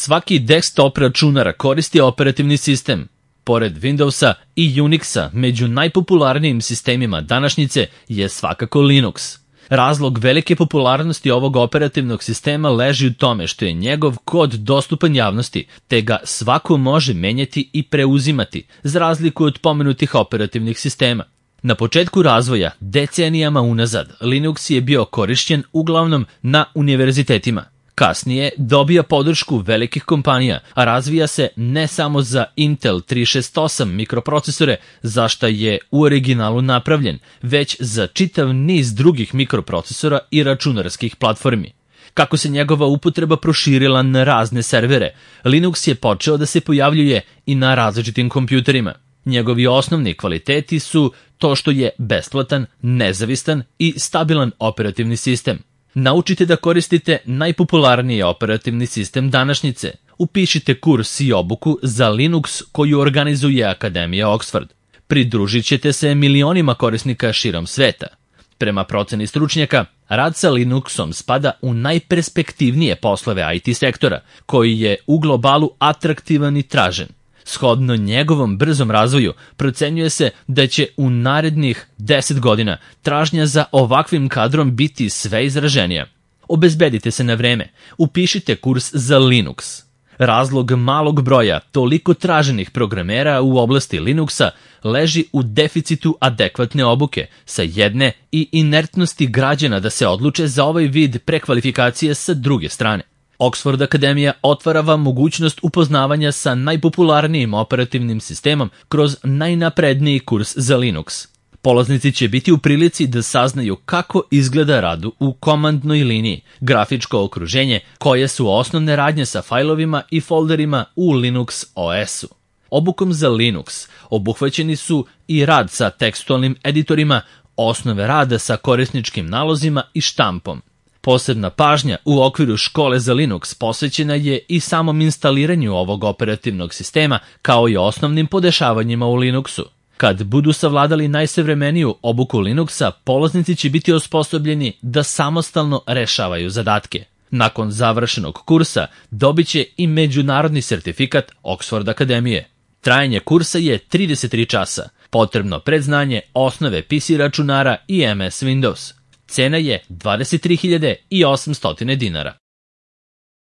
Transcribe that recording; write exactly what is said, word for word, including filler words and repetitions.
Svaki desktop računar koristi operativni sistem. Pored Windowsa i Unixa, među najpopularnijim sistemima današnjice je svakako Linux. Razlog velike popularnosti ovog operativnog sistema leži u tome što je njegov kod dostupan javnosti, te ga svako može menjati i preuzimati, za razliku od pomenutih operativnih sistema. Na početku razvoja, decenijama unazad, Linux je bio korišćen uglavnom na univerzitetima. Kasnije dobija podršku velikih kompanija, a razvija se ne samo za Intel tri šest osam mikroprocesore, za šta je u originalu napravljen, već za čitav niz drugih mikroprocesora i računarskih platformi. Kako se njegova upotreba proširila na razne servere, Linux je počeo da se pojavljuje i na različitim kompjuterima. Njegovi osnovni kvaliteti su to što je besplatan, nezavistan i stabilan operativni sistem. Naučite da koristite najpopularniji operativni sistem današnjice. Upišite kurs i obuku za Linux koju organizuje Akademija Oxford. Pridružit ćete se milionima korisnika širom sveta. Prema proceni stručnjaka, rad sa Linuxom spada u najperspektivnije poslove I T sektora, koji je u globalu atraktivan i tražen. Shodno njegovom brzom razvoju, procenjuje se da će u narednih deset godina tražnja za ovakvim kadrom biti sve izraženija. Obezbedite se na vreme, upišite kurs za Linux. Razlog malog broja toliko traženih programera u oblasti Linuxa leži u deficitu adekvatne obuke sa jedne i inertnosti građana da se odluče za ovaj vid prekvalifikacije sa druge strane. Oxford Akademija otvara vam mogućnost upoznavanja sa najpopularnijim operativnim sistemom kroz najnapredniji kurs za Linux. Polaznici će biti u prilici da saznaju kako izgleda rad u komandnoj liniji, grafičko okruženje, koje su osnovne radnje sa fajlovima i folderima u Linux O S-u. Obukom za Linux obuhvaćeni su i rad sa tekstualnim editorima, osnove rada sa korisničkim nalozima i štampom. Posebna pažnja u okviru škole za Linux posvećena je i samom instaliranju ovog operativnog sistema, kao i osnovnim podešavanjima u Linuxu. Kad budu savladali najsavremeniju obuku Linuxa, polaznici će biti osposobljeni da samostalno rešavaju zadatke. Nakon završenog kursa dobit će i međunarodni sertifikat Oxford Akademije. Trajanje kursa je trideset tri časa, potrebno predznanje osnove P C računara i M S Windows. Cena je dvadeset tri hiljade osamsto dinara.